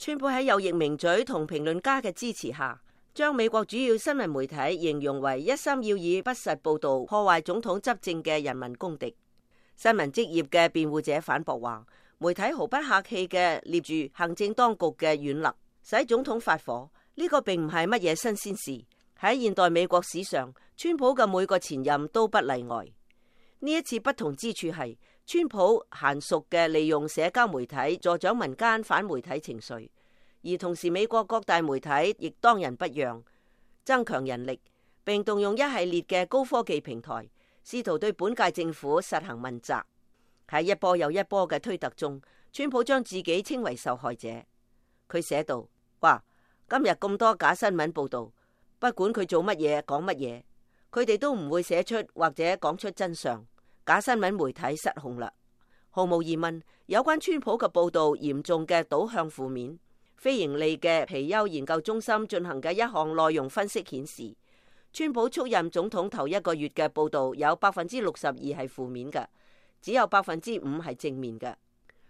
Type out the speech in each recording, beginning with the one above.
川普喺有役名嘴同評論家嘅支持下，將美國主要新聞媒體形容為一心要以不實報道破壞總統執政嘅人民公敵。新聞職業嘅辯護者反駁話，媒體毫不客氣嘅捏住行政當局嘅軟肋，使總統發火，呢個並唔係乜嘢新鮮事。喺現代美國史上，川普嘅每個前任都不例外。呢一次不同之處係，川普嫻熟嘅利用社交媒體助長民間反媒體情緒，而同時美國各大媒體亦當仁不讓，增強人力，並動用一系列嘅高科技平台，試圖對本屆政府實行問責。喺一波又一波嘅推特中，川普將自己稱為受害者。佢寫道：哇，今日咁多假新聞報道，不管佢做乜嘢講乜嘢，佢哋都唔會寫出或者講出真相。假新聞媒體失控啦！毫無疑問，有關川普嘅報道嚴重嘅導向負面。非盈利嘅皮尤研究中心進行嘅一項內容分析顯示，川普出任總統頭一個月嘅報道有62%係負面嘅，只有5%係正面嘅。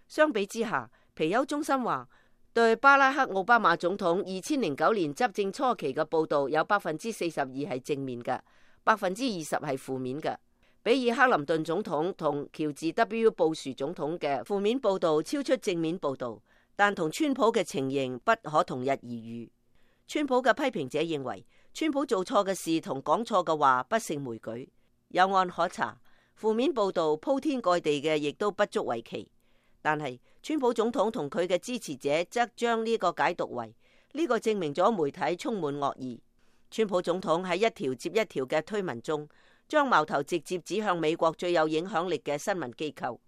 相比之下，皮尤中心話，對巴拉克奧巴馬總統2009年執政初期嘅報道有42%係正面嘅，20%係負面嘅。比爾克林頓總統同喬治 W 布殊總統嘅負面報道超出正面報道，但同川普嘅情形不可同日而語。川普嘅批評者認為，川普做錯嘅事同講錯嘅話不勝枚舉，有案可查。負面報道鋪天蓋地嘅亦都不足為奇，但係川普總統同佢嘅支持者則將呢個解讀為呢個證明咗媒體充滿惡意。川普總統喺一條接一條嘅推文中，將矛頭直接指向美國最有影響力嘅新聞機構，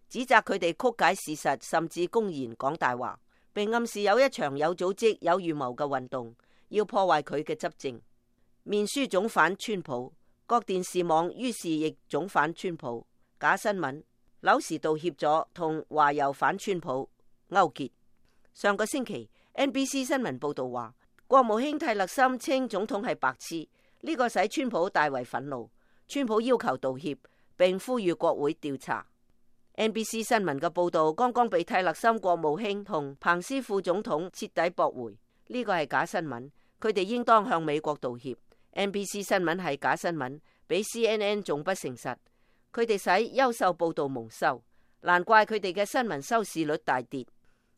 指責佢哋曲解事實，甚至公然講大話，並暗示有一場有組織、有預謀嘅運動，要破壞佢嘅執政。面書總反川普，各電視網於是亦總反川普。假新聞、柳時道協助同華郵反川普勾結。上個星期 NBC 新聞報道話，國務卿蒂勒森稱總統係白痴，呢個使川普大為憤怒。川普要求道歉，並呼籲國會調查。NBC 新聞嘅報道剛剛被蒂勒森國務卿同彭斯副總統徹底駁回，呢個係假新聞，佢哋應當向美國道歉。NBC 新聞係假新聞，比 CNN 仲不誠實，佢哋使優秀報道蒙羞，難怪佢哋嘅新聞收視率大跌。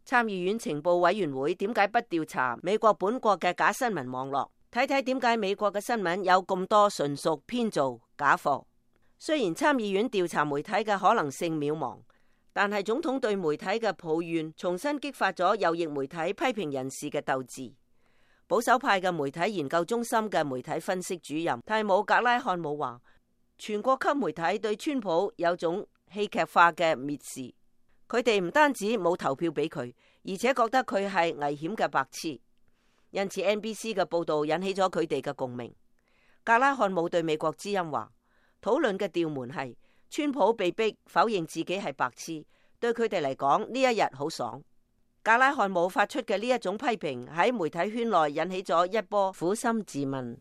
參議院情報委員會點解不調查美國本國嘅假新聞網絡？睇睇點解美國嘅新聞有咁多純屬編造假貨。雖然參議院調查媒體嘅可能性渺茫，但係總統對媒體嘅抱怨重新激發咗右翼媒體批評人士嘅鬥志。保守派嘅媒體研究中心嘅媒體分析主任蒂姆格拉漢姆話，全國級媒體對川普有種戲劇化嘅蔑視，佢哋唔單止冇投票俾佢，而且覺得佢係危險嘅白痴。因此 NBC 嘅報道引起咗佢哋嘅共鳴。格拉漢姆對美國之音話，討論嘅調門係川普被逼否認自己係白痴，對佢哋嚟講呢一日好爽。格拉漢姆發出嘅呢一種批評喺媒體圈內引起咗一波苦心自問。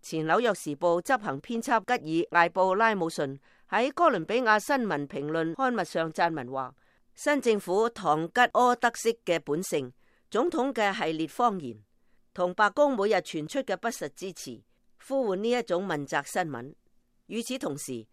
前紐約時報執行編輯吉爾艾布拉姆遜喺哥倫比亞新聞評論刊物上撰文話，新政府堂吉訶德式嘅本性，總統嘅系列謊言，同白宮每日傳出嘅不實之詞，呼喚呢一種問責新聞。與此同時，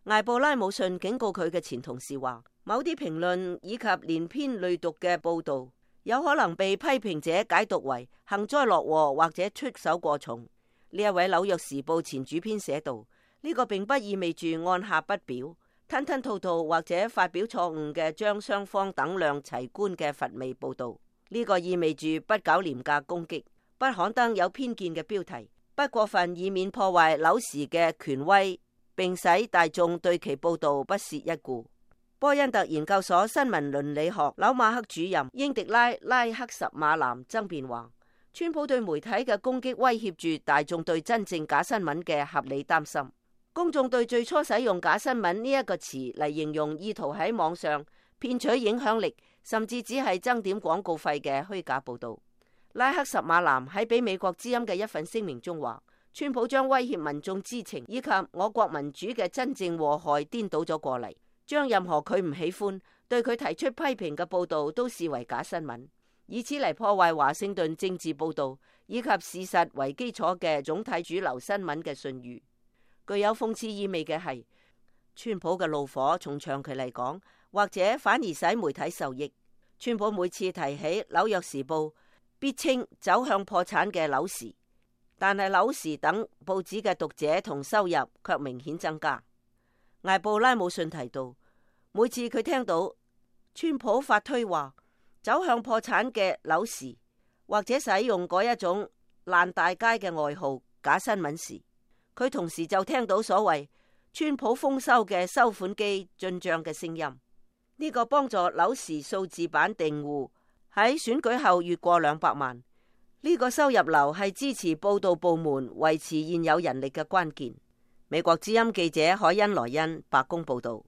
艾布拉姆遜警告佢嘅前同事話，某啲評論以及連篇累牘嘅報道，有可能被批評者解讀為幸災樂禍或者出手過重。呢一位紐約時報前主編寫道，呢個並不意味住按下不表、吞吞吐吐或者發表錯誤嘅將雙方等量齊觀嘅乏味報道。呢個意味住不搞廉價攻擊，不刊登有偏見嘅標題，不過分以免破壞紐時嘅權威，並使大眾對其報道不屑一顧。波恩特研究所新聞倫理學紐馬克主任英迪拉克什馬南爭辯話，川普對媒體嘅攻擊威脅住大眾對真正假新聞嘅合理擔心。公眾對最初使用假新聞呢一個詞嚟形容意圖喺網上騙取影響力，甚至只係爭點廣告費嘅虛假報道。拉克什馬南喺俾美國之音嘅一份聲明中話，川普將威脅民眾知情以及我國民主嘅真正禍害顛倒咗過嚟，將任何佢唔喜歡、對佢提出批評嘅報道都視為假新聞。以此嚟破壞華盛頓政治報道以及事實為基礎嘅總體主流新聞嘅信譽。具有諷刺意味嘅係，川普嘅怒火從長期嚟講，或者反而使媒體受益。川普每次提起《紐約時報》，必稱走向破產嘅紐時，但係紐時等報紙嘅讀者同收入卻明顯增加。艾布拉姆遜提到，每次佢聽到川普發推話走向破產嘅紐時，或者使用嗰一種爛大街嘅外號假新聞時，佢同時就聽到所謂川普豐收嘅收款機進賬嘅聲音。呢個幫助紐時數字版訂戶喺選舉後越過200萬。呢個收入流係支持報道部門維持現有人力嘅關鍵。美國之音記者海恩萊恩白宮報道。